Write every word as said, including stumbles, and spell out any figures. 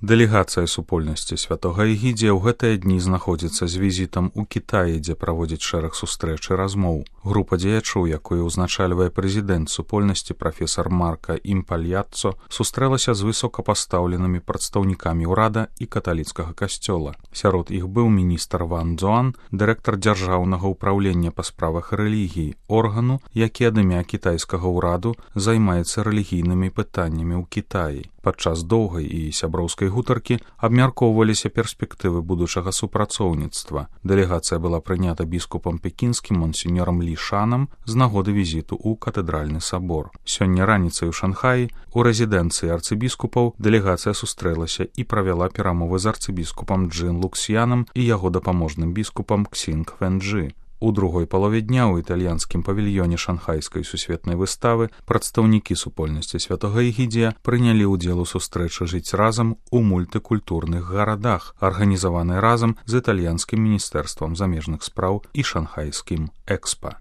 Дэлегацыя супольнасці святога Эгідзія ў гэтыя дні знаходзіцца з візітам у Кітаі, дзе праводзіць шэраг сустрэч і размоў. Група дзеячоў, якую ўзначальвае прэзідэнт супольнасці прафесар Марка Імпальяццо, сустрэлася з высокапастаўленымі прадстаўнікамі ўрада і каталіцкага касцёла. Сярод іх быў міністр Ван Цзуан, дырэктар дзяржаўнага ўпраўлення па справах рэлігіі, органу, які ад імя кітайскага ўраду займаецца рэлігійнымі пытаннямі ў Кітаі. Падчас доўгай і сяброўскай гутаркі абмяркоўваліся перспектывы будучага супрацоўніцтва. Дэлегацыя была прынята біскупам пекінскім монсеньорам Лі Шанам з нагоды візіту ў катэдральны сабор. Сёння раніцай у Шанхаі у рэзідэнцыі арцыбіскупаў дэлегацыя сустрэлася і правяла перамовы з арцыбіскупам Джын Луксьянам і яго дапаможным біскупам Ксінг Вэнджы. У другой палове дня ў італьянскім павільёне шанхайскай сусветнай выставы прадстаўнікі супольнасці святога Эгідзія прынялі ўдзел у сустрэчы «Жыць разам» у мультыкультурных гарадах, арганізаванай разам з італьянскім міністэрствам замежных спраў і шанхайскім экспа.